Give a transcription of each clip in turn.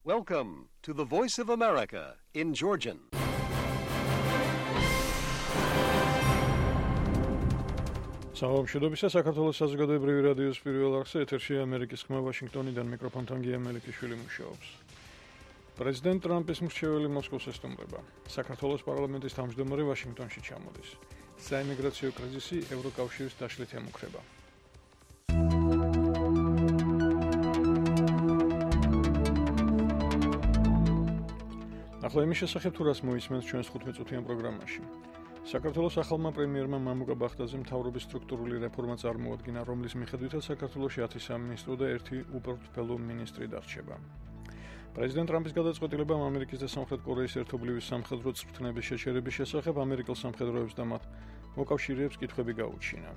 Welcome to the Voice of America in Georgian. Საუბრობთ საქართველოს საზოგადოებრივი რადიოს პირველ არხზე ეთერში ამერიკის ხმა ვაშინგტონიდან მიკროფონთან გია მელიქიშვილი მუშაობს. პრეზიდენტ ტრამპის მრჩეველი მოსკოვს ესტუმრება. საქართველოს პარლამენტის თავმჯდომარე ვაშინგტონში ჩამოდის. საიმიგრაციო კრიზისი ევროკავშირის დაშლით ემუქრება. ახლა იმის შესახებ თუ რას მოისმენთ ჩვენს 15-წუთიან პროგრამაში. საქართველოს ახალმა პრემიერმა მამუკა ბახტაძემ მთავრობის სტრუქტურული რეფორმა წარმოადგინა, რომლის მიხედვითაც საქართველოში 10 სამინისტრო და 1 უპროფესიონალო მინისტრი დარჩება. პრეზიდენტ ტრამპის გადაწყვეტილებამ ამერიკის და სამხრეთ კორეის ერთობლივი სამხედრო წვრთნების შეჩერების შესახებ ამერიკელ სამხედროებს და მათ მოკავშირეებს კითხვები გაუჩინა.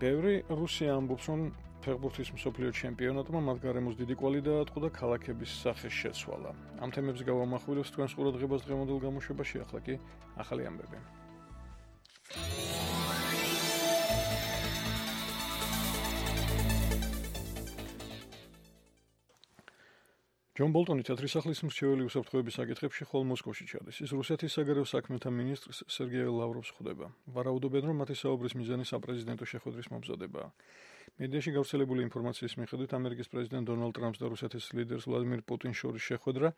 ბევრი რუსია ამბობს, რომ ფეხბურთის მსოფლიო ჩემპიონატმა მათ გარემოს დიდი კვალი დაატყო და ქალაქების სახე შეცვალა. ამ თემებს გავამახვილებს თქვენს ყურადღებას დღევანდელ გამოშვებაში, ახლა კი ახალი ამბები. ჯონ ბოლტონი თეთრი სახლის მრჩეველი უსაფრთხოების საკითხებში ხოლ მოსკოვში ჩადის. ის რუსეთის საგარეო საქმეთა მინისტრს სერგეი ლავროვს ხვდება. ვარაუდობენ, რომ მათი საუბრის მიზანი საპრეზიდენტო შეხვედრის მომზადებაა. მედიაში გავრცელებული ინფორმაციის მიხედვით ამერიკის პრეზიდენტ დონალდ ტრამპს და რუსეთის ლიდერს ვლადიმირ პუტინს შორის შეხვედრა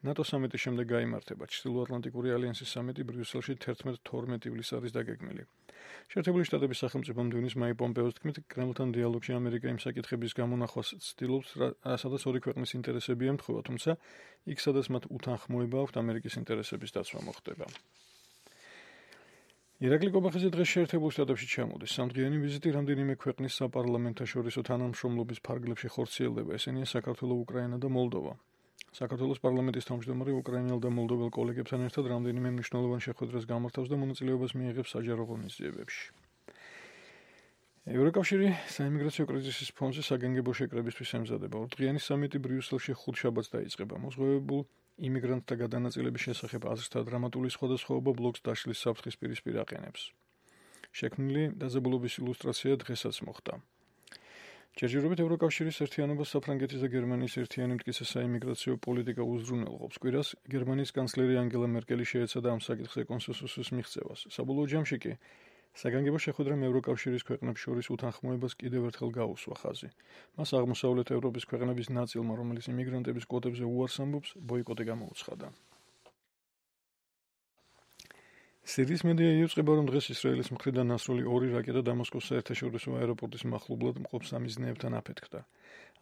ნატო სამიტის შემდეგ გაიმართება. ჩრდილოატლანტიკური ალიანსის სამიტი ბრიუსელში 11-12 ივლისს არის დაგეგმილი. შეერთებული შტატების სახელმწიფო მდივნის მაიკ პომპეოს თქმით, კრემლთან დიალოგში ამერიკა იმ საკითხების გამონახვას ცდილობს, სადაც ორი ქვეყნის ინტერესები ემთხვევა, თუმცა იქ, სადაც მათ უთანხმოება აქვთ ამერიკის ინტერესების დაცვა მოხდება. ირაკლი კობახიძე დღეს შეერთებულ შტატებში ჩამოდის. სამდღიანი ვიზიტი რამდენიმე ქვეყნის საპარლამენტაშორისო თანამშრომლობის ფარგლებში ხორციელდება. ესენია საქართველო, უკრაინა და მოლდოვა. საქართველოს პარლამენტის თავმჯდომარე უკრაინელ და მოლდოվել კოლეგებთან ერთად რამდენიმე მნიშვნელოვან შეხვედრას გამართავს და მონაწილეობას მიიღებს საჯარო ღონისძიებებში. ევროკავშირი საიმიგრაციო კრიზისის ფონზე საგანგებო შეკრებისთვის ემზადება. ორდღიანი სამიტი ბრიუსელში ხუთშაბათს დაიწყება. მოსღვევებულ იმიგრანტთა გადანაწილების შესახებ აზრთა დრამატული სხვადასხვაობა ბლოკს დაშლის საფრთხის პირისპირ აყენებს. შექმნილი დაძაბულობის ილუსტრაცია დღესაც მოხდა. ჯერჯერობით ევროკავშირის ერთიანობას საფრანგეთის და გერმანიის ერთიანი მტკიცე საიმიგრაციო პოლიტიკა უზრუნველყოფს. კვირას გერმანიის კანცლერი ანგელა მერკელი შეეცადა ამ საკითხზე კონსენსუსის მიღწევას. საბოლოო ჯამში კი საგანგებო შეხვედრამ ევროკავშირის ქვეყნებს შორის უთანხმოებას კიდევ ერთხელ გაუსვა ხაზი. მას აღმოსავლეთ ევროპის ქვეყნების ნაწილმა, რომელიც იმიგრანტების კვოტებზე უარს ამბობს, ბოიკოტი გამოუცხადა. სირიის მედია იუწყება, რომ დღეს ისრაელის მხრიდან ნასრული 2 რაკეტა დამასკოს საერთაშორისო აეროპორტის მახლობლად მყოფ სამიზნეებთან აფეთქდა.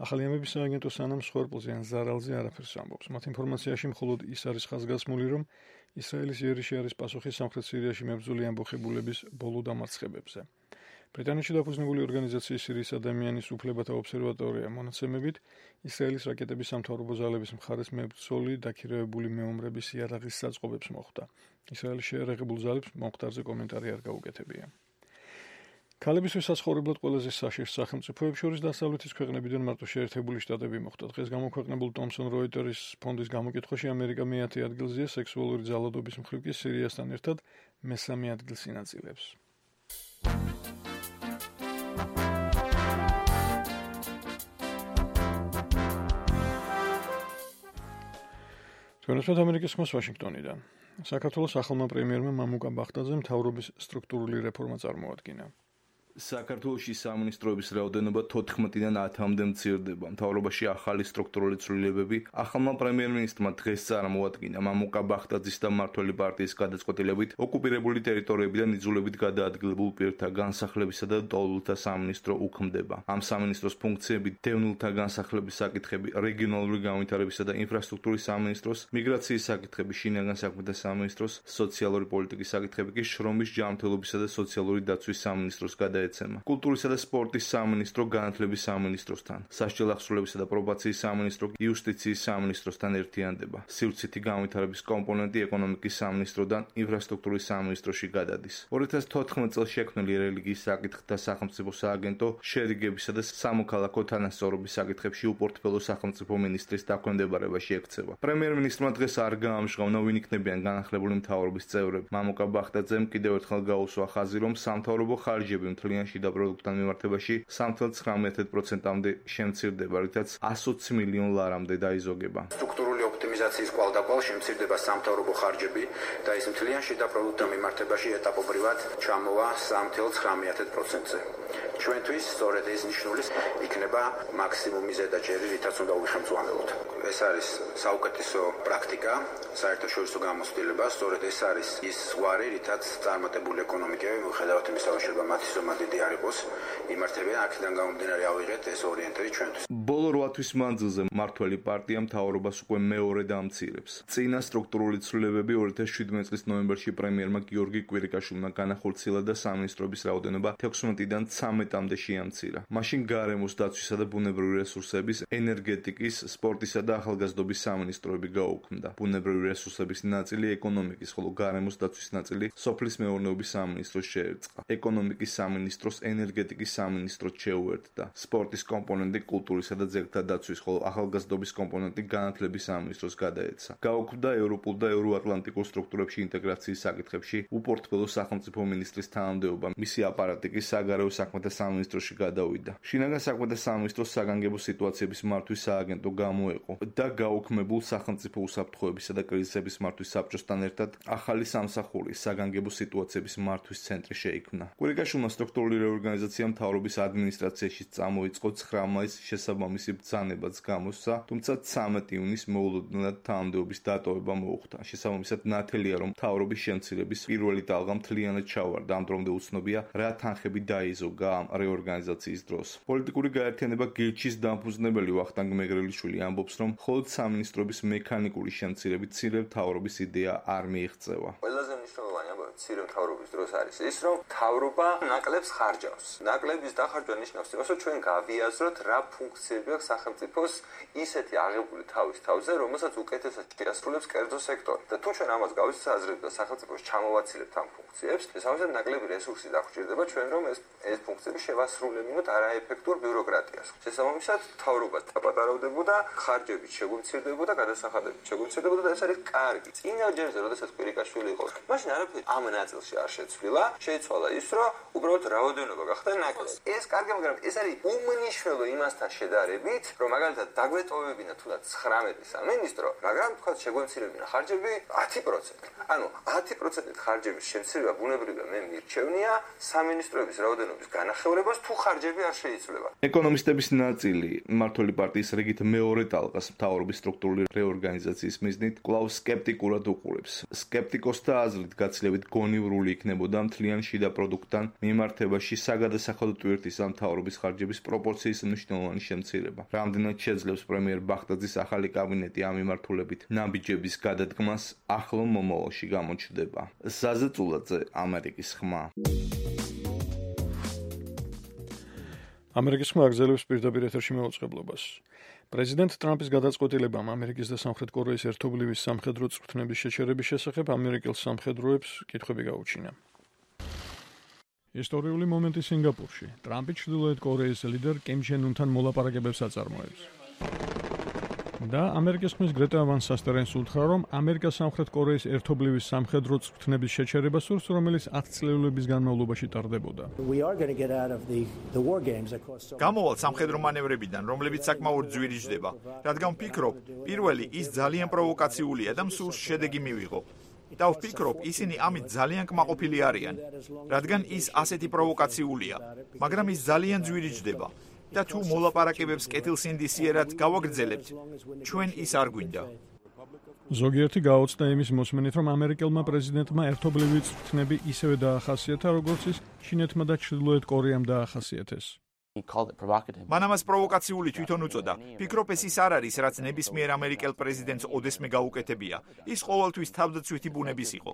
ახალი ამბების სააგენტო სანამ სხორპლზე ან ზარალზე არაფერს ამბობს. მათ ინფორმაციაში მხოლოდ ის არის ხაზგასმული, რომ ისრაელის იერიში არის პასუხი სამხრეთ სირიაში მებრძოლი ამბოხებულების ბოლო დამარცხებებზე. ბრიტანეთში დაფუძნებული ორგანიზაციის სირიის ადამიანის უფლებათა ობსერვატორია მონაცემებით, ისრაელის რაკეტების სამთავრობო ძალების მხარეს მებრძოლი დაქირავებული მეომრების იარაღის საწყობებს მოხვდა. ისრაელის შეერაღებულ ძალებს მომხდარზე კომენტარი არ გაუკეთებია. ქალებისთვის საცხოვრებლად ყველაზე საშიშ სახელმწიფოებს შორის დასავლეთის ქვეყნებიდან მარტო შეერთებული შტატები მოხვდა. დღეს გამოქვეყნებულ Thomson Reuters ფონდის გამოკითხვაში ამერიკა მე-10 ადგილზეა, სექსუალური ძალადობის მხრივ კი სირიასთან ერთად მესამე ადგილს ინაწილებს. თქვენებთ ამერიკის ხმას ვაშინგტონიდან. საქართველოს ახალმა პრემიერმა მამუკა ბახტაძემ მთავრობის სტრუქტურული რეფორმა წარმოადგინა. საქართველოში სამინისტროების რაოდენობა 14-დან 10-მდე მცირდება. მთავრობაში ახალი სტრუქტურული ცვლილებები ახალმა პრემიერ-მინისტრმა დღეს წარმოადგინა. მამუკა ბახტაძის და მმართველი პარტიის გადაწყვეტილებით ოკუპირებული ტერიტორიებიდან იძულებით გადაადგილებულ პირთა განსახლებისა და ტოლულთა სამინისტრო უქმდება. ამ სამინისტროს ფუნქციები დევნილთა განსახლების საკითხები, რეგიონალური განვითარებისა და ინფრასტრუქტურის სამინისტროს, მიგრაციის საკითხები, შინაგან საქმეთა სამინისტროს, სოციალური პოლიტიკის საკითხები კი შრომის ჯანმრთელობისა და სოციალური დაცვის სამინისტროს გადაეცემა. კულტურისა და სპორტის სამინისტრო განათლების სამინისტროსთან, სასჯელ ახსრულებისა და პრობაციის სამინისტრო იუსტიციის სამინისტროსთან ერთიანდება. სივრცითი განვითარების კომპონენტი ეკონომიკის სამინისტროდან ინფრასტრუქტურის სამინისტროში გადადის. 2014 წელს შექმნილი რელიგიის საკითხთა სახელმწიფო სააგენტო შერიგებისა და სამოქალაქო თანასწორობის საკითხებში უპორტფელო სახელმწიფო მინისტრის დაქვემდებარებაში ექცევა. პრემიერ-მინისტრმა დღეს არ გაამჟღავნა ვინ იქნებიან განახლებული მთავრობის წევრები. მამუკა ბახტაძემ კიდევ ერთხელ გაუსვა ხაზი, რომ სამთავრობო ხარჯები მთლიან თლიან შიდა პროდუქტთან მიმართებაში 3.9%-მდე შემცირდება, რითაც 120 მილიონ ლარამდე დაიზოგება. სტრუქტურული ოპტიმიზაციის კვალდაკვალ შემცირდება სამთავრობო ხარჯები და ის მთლიან შიდა პროდუქტთან მიმართებაში ეტაპობრივად ჩამოვა 3.9%-ზე. ჩვენთვის სწორედ ეს ნიშნული იქნება მაქსიმუმი ზედაჯერი, რითაც უნდა უხელმძღვანელოთ. ეს არის საუკეთესო პრაქტიკა, საერთაშორისო გამოცდილება, სწორედ ეს არის ის ზღვარი, რითაც წარმატებული ეკონომიკები, მიუხედავად იმისა, რომ შეიძლება მათი ზომა დიდი არ იყოს, იმართებიან. აქედან გამომდინარე ავიღეთ ეს ორიენტირი ჩვენთვის. ბოლო 8 თვის მანძილზე მმართველი პარტია მთავრობას უკვე მეორე დამცირებს. წინა სტრუქტურული ცვლილებები 2017 წლის ნოემბერში პრემიერმა გიორგი კვირიკაშვილმა განახორციელა და სამინისტროების რაოდენობა 16-დან 13-მდე შეამცირა. მაშინ გარემოს დაცვისა და ბუნებრივი რესურსების, ენერგეტიკის, სპორტისა და ახალგაზრდობის სამინისტროები გაუქმდა. ბუნებრივი რესურსების ნაწილი ეკონომიკის, ხოლო გარემოს დაცვის ნაწილი სოფლის მეურნეობის სამინისტროს შეერწყა. ეკონომიკის სამინისტროს ენერგეტიკის სამინისტროს შეუერთდა. სპორტის კომპონენტი კულტურისა და ძეგლთა დაცვის, ხოლო ახალგაზრდობის კომპონენტი განათლების სამინისტროს გადაეცა. გაუქმდა ევროპულ და ევროატლანტიკურ სტრუქტურებში ინტეგრაციის საკითხებში უპორტფელო სახელმწიფო მინისტრის თანამდებობა. მისი აპარატი კი საგარეო საქმეთა სამინისტროში გადავიდა. შინაგან საქმეთა სამინისტროს საგანგებო სიტუაციების მართვის სააგენტო გამოეყო და გაუქმებულ სახელმწიფო უსაფრთხოებისა და კრიზისების მართვის საბჭოსთან ერთად ახალი სამსახური საგანგებო სიტუაციების მართვის ცენტრი შეიქმნა. კვირიკაშვილმა სტრუქტურული რეორგანიზაცია მთავრობის ადმინისტრაციაში წამოიწყო 9 მაისს შესაბამისი ბრძანებაც გამოსცა, თუმცა 13 ივნისს მოულოდნელად თანამდებობის დატოვება მოუხდა. შესაბამისად ნათელია, რომ მთავრობის შემცირების პირველი ტალღა მთლიანად ჩავარდა. ამ დრომდე უცნობია, რა თანხები დაიზოგა ამ რეორგანიზაციის დროს. პოლიტიკური გაერთიანება გირჩის დამფუძნებელი ვახტანგ მეგრელიშვილი ამბობს, რომ მხოლოდ სამინისტროების მექანიკური შემცირებით მცირე მთავრობის იდეა არ მიიღწევა. ყველაზე მნიშვნელოვანი ამბავი მცირე მთავრობის დროს არის ის, რომ მთავრობა ნაკლებს ხარჯავს. ნაკლების დახარჯვა ნიშნავს იმას, რომ ჩვენ გავიაზროთ, რა ფუნქციები აქვს სახელმწიფოს ისეთი აღებული თავის თავზე, რომელსაც უკეთესად შეასრულებს კერძო სექტორი. და თუ ჩვენ ამას გავისაზრებთ და სახელმწიფოს ჩამოვაცილებთ ამ ფუნქციებს, შესაბამისად ნაკლები რესურსი დაგვჭირდება ჩვენ, რომ ეს ფუნქციები შევასრულებინოთ არაეფექტურ ბიუროკრატიას. შესაბამისად, მთავრობა დაპატარავდებოდა, ხარჯებით შეგვიმცირდებოდა, გადასახადებით შეგვიმცირდებოდა და ეს არის კარგი. წინა ჯერზე, როდესაც კვირიკაშვილი იყო, მაშინ არაფერი ამ ნაწილში არ შეცვლილა, შეიცვალა ის, რომ უბრალოდ რაოდენობა გახდა ნაკლები. ეს კარგი, მაგრამ ეს არის უმნიშვნელო იმასთან შედარებით, რომ მაგალითად დაგვეტოვებინა თუნდაც 19 სამინისტრო, მაგრამ თქვა შეგვემცირებინა ხარჯები 10%. ანუ 10%-ით ხარჯების შემცირება ბუნებრივია მე მირჩევნია სამინისტროების რაოდენობის განახევრებას თუ ხარჯები არ შეიცვლება. ეკონომისტების ნაწილი მმართველი პარტიის რიგით მეორე ტალღას მთავრობის სტრუქტურული რეორგანიზაციის მიზნით კვლავ სკეპტიკურად უყურებს. სკეპტიკოსთა აზრით გაცილებით გონივრული იქნებოდა მთლიან შიდა პროდუქტთან მიმართებაში საგადასახადო ტვირთის ამ მთავრობის ხარჯების პროპორციის მნიშვნელოვანი შემცირება. რამდენად შეძლებს პრემიერ ბახტაძის ახალი კაბინეტი ამ მიმართულებით ნაბიჯების გადადგმას ახლო მომავალში გამოჩნდება. ზაზე წულაძე, ამერიკის ხმა. ამერიკის ხმა აგზელებს პირდაპირ ეთერში მეუწყებლობას. პრეზიდენტ ტრამპის გადაწყვეტილებამ ამერიკის და სამხრეთ კორეის ერთობლივი სამხედრო წვრთნების შეჩერების შესახებ ამერიკელ სამხედროებს კითხვები გაუჩინა. ისტორიული მომენტი სინგაპურში. ტრამპი ჩრდილოეთ კორეის ლიდერ კიმ ჩენ უნთან მოლაპარაკებებს აწარმოებს. და ამერიკის ხმის გრეტა ვან სასტერენს უთხრა, რომ ამერიკა სამხრეთ კორეის ერთობლივი სამხედრო წვრთნების შეჩერება სურს, რომელიც 10 წლების განმავლობაში ტარდებოდა. გამოვალ სამხედრო მანევრებიდან, რომლებიც საკმაოდ ძვირიჯდება, რადგან ვფიქრობ, პირველი ის ძალიან პროვოკაციულია და მსურს შედეგი მივიღო. და ვფიქრობ, ისინი ამით ძალიან კმაყოფილი არიან, რადგან ის ასეთი პროვოკაციულია, მაგრამ ის ძალიან ძვირიჯდება. და თუ მოლაპარაკებებს კეთილსინდისიერად გავაგრძელებთ, ჩვენ ის არ გვინდა. ზოგიერთი გაოცდა იმის მოსმენით, რომ ამერიკელმა პრეზიდენტმა ერთობლივი წვრთნები ისევე დაახასიათა, როგორც ის ჩინეთმა და ჩრდილოეთ კორეამ დაახასიათეს. მან ამას პროვოკაციული თვითონ უწოდა. ფიქრობ, ეს ის არ არის, რაც ნებისმიერ ამერიკელ პრეზიდენტს ოდესმე გაუკეთებია. ის ყოველთვის თავდაცვითი ბუნების იყო.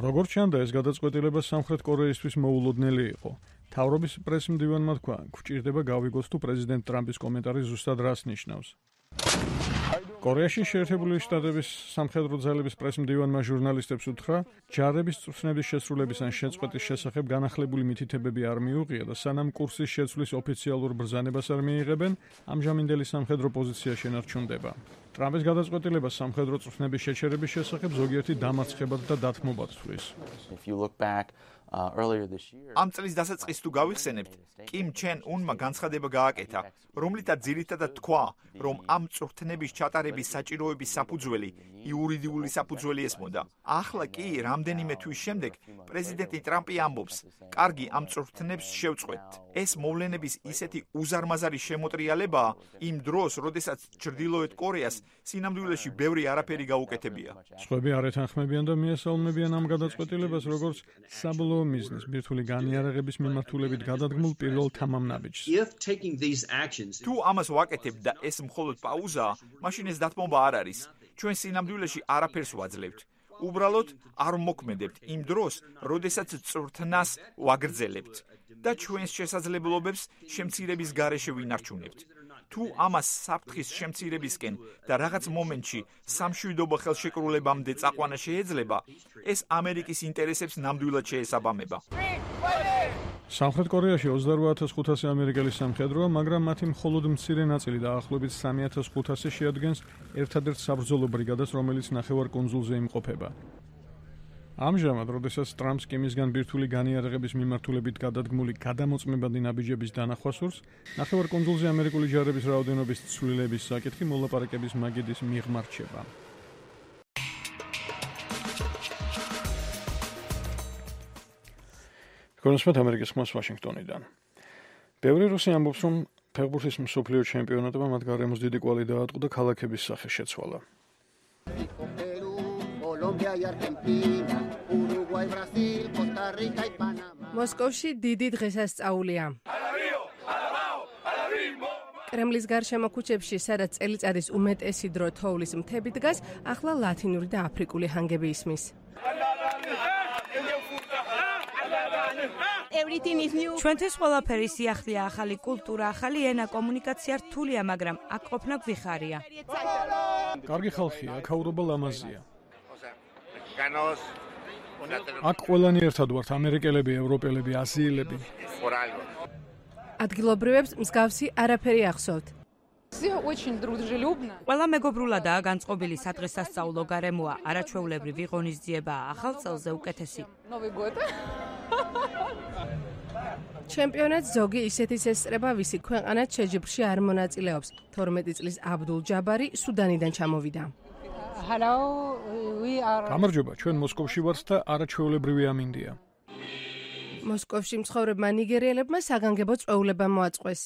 როგორც ჩანდა, ეს გადაწყვეტილება სამხრეთ კორეისთვის მოულოდნელი იყო. თავრობის პრესმდივანმა თქვა, გვჭირდება გავიგოს თუ პრეზიდენტ ტრამპის კომენტარი ზუსტად რას ნიშნავს. კორეაში შეერთებული შტატების სამხედრო ძალების პრესმდივანმა ჟურნალისტებს უთხრა, ჯარების წვრთნების შესრულების ან შეწყვეტის შესახებ განახლებული მითითებები არ მიუღია და სანამ კურსის შეცვლის ოფიციალურ ბრძანებას არ მიიღებენ, ამჟამინდელი სამხედრო პოზიცია შენარჩუნდება. ტრამპის გადაწყვეტილება სამხედრო წვრთნების შეჩერების შესახებ ზოგიერთი დამარცხებად და დათმობად თვლის. ამ წლის დასაწყისს თუ გავიხსენებთ, კიმ ჩენ უნმა განცხადება გააკეთა, რომლითაც ძირითადად თქვა, რომ ამ წვრთნების ჩატარების საჭიროების საფუძველი იურიდიული საფუძველი ესმოდა. ახლა კი, რამდენიმე თვის შემდეგ, პრეზიდენტი ტრამპი ამბობს, კარგი, ამ წვრთნებს შევწყვეტთ. ეს მოვლენების ისეთი უზარმაზარი შემოტრიალებაა იმ დროს, როდესაც ჩრდილოეთ კორეას სინამდვილეში ბევრი არაფერი გაუკეთებია. სხვები არ ეთანხმებიან და მიესალმებიან ამ გადაწყვეტილებას, როგორც საბოლოო მიზნის ბირთვული განიარაღების მიმართულებით გადადგმულ პირველ თამამნაბიჯს. თუ ამას ვაკეთებთ და ეს მხოლოდ პაუზაა, მაშინ ეს დათმობა არ არის. ჩვენ სინამდვილეში არაფერს ვაძლევთ. უბრალოდ არ მოქმედებთ იმ დროს, როდესაც წვრთნას ვაგრძელებთ და ჩვენს შესაძლებლობებს შემცირების გარეშე ვინარჩუნებთ. თუ ამას საფრთხის შემცირებისკენ და რაღაც მომენტში სამშვიდობო ხელშეკრულებამდე წაყვანა შეეძლება, ეს ამერიკის ინტერესებს ნამდვილად შეესაბამება. სამხრეთ კორეაში 28,500 ამერიკელი სამხედროა, მაგრამ მათი მხოლოდ მცირე ნაწილი დაახლოებით 3500 შეადგენს ერთადერთ საბრძოლო ბრიგადას, რომელიც ნახევარკუნძულზე იმყოფება. ამჟამად, როდესაც ტრამპს კიმისგან ბირთვული განიარაღების მიმართულებით გადადგმული გადამოწმებადი ნაბიჯების დანახვა სურს, ნახევარკუნძულზე ამერიკული ჯარების რაოდენობის ცვლილების საკითხი მოლაპარაკების მაგიდის მიღმა რჩება. კონსპეთ ამერიკის ხმას ვაშინგტონიდან. ბევრი რუსი ამბობს, რომ ფეხბურთის მსოფლიო ჩემპიონატმა მათ გარემოს დიდი კვალი დაატყო და ქალაქების სახე შეცვალა. მოსკოვში დიდი დღესასწაულია. კრემლის გარშემო ქუჩებში, სადაც წელიწადის უმეტესი დრო თოვლის მთები დგას, ახლა ლათინური და აფრიკული ჰანგები ისმის. ჩვენთვის ყველაფერი სიახლეა, ახალი კულტურა, ახალი ენა, კომუნიკაცია რთულია, მაგრამ აქ ყოფნა გვიხარია. კარგი ხალხია, აქაურობა ლამაზია. აქ ყველანი ერთად ვართ, ამერიკელები, ევროპელები, აზიელები. ადგილობრივებს მსგავსი არაფერი ახსოვთ. ყველა მეგობრულადაა განწყობილი სადღესასწაულო გარემოა, არაჩვეულებრივი ღონისძიებაა, ახალ წელზე უკეთესი. ჩემპიონატს ზოგი ისეთიც ესწრება, ვისი ქვეყანაც შეჯიბრში არ მონაწილეობს. 12 წლის აბდულ ჯაბარი სუდანიდან ჩამოვიდა. გამარჯობა, ჩვენ მოსკოვში ვართ და არაჩვეულებრივი ამინდია. მოსკოვში მცხოვრებმა ნიგერიელებმა საგანგებო წვეულება მოაწყვეს.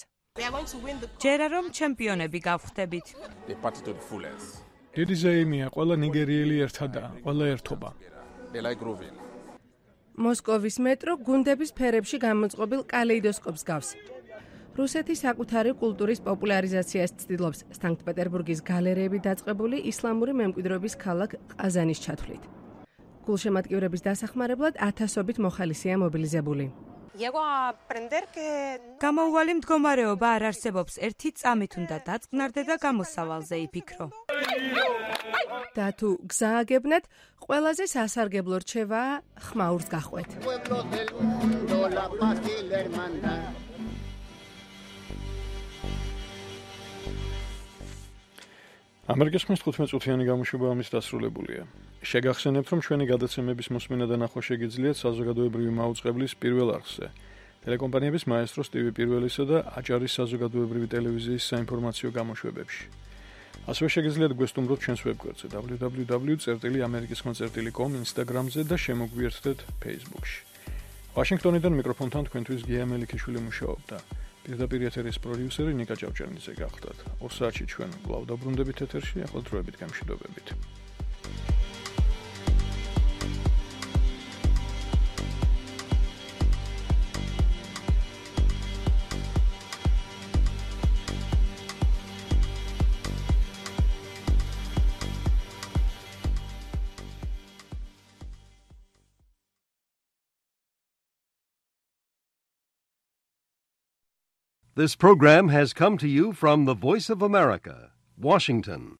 ჯერა რომ ჩემპიონები გავხდებით. დიდი ზეიმია, ყველა ნიგერიელი ერთადაა, ყველა ერთობა. მოსკოვის მეტრო გუნდების ფერებში გამოწყობილ კალეიდოსკოპს გავს. რუსეთი საკუთარი კულტურის პოპულარიზაციას ცდილობს, სანქტ-პეტერბურგის გალერეები დაწყებული ისლამური მემკვიდრეობის ქალაქ ყაზანის ჩათვლით. გულშემატკივრების დასახმარებლად ათასობით მოხალისეა მობილიზებული. გამოუვალი მდგომარეობა არ არსებობს, ერთი წამით უნდა დაწყნარდე და გამოსავალზე იფიქრო. და თუ გზააგებნათ, ყველაზე სასარგებლო რჩევაა ხმაურს გახვეთ. ამერიკის ხმის 15 წუთიანი გამოშვება ამის დასრულებულია. შეგახსენებთ, რომ ჩვენი გადაცემების მოსმენა და ნახვა შეგიძლიათ საზოგადოებრივი მაუწყებლის პირველ არხზე. ტელეკომპანიების მაესტრო სტივი პირველისა და აჭარის საზოგადოებრივი ტელევიზიის საინფორმაციო გამოშვებებში. ასევე შეგიძლიათ გვესტუმროთ ჩვენს ვებგვერდზე www.amerikiskhma.com, Instagram-ზე და შემოგვიერთდეთ Facebook-ში. ვაშინგტონიდან მიკროფონთან თქვენთვის გია მელიქიშვილი მუშაობდა. პირდაპირ ეთერის პროდიუსერი ნიკა ჭავჭერნიძე გახლდათ. 2 საათში ჩვენ კვლავ დაბრუნდებით ეთერში, ახლა დროებით გამშვიდობებით. This program has come to you from the Voice of America, Washington.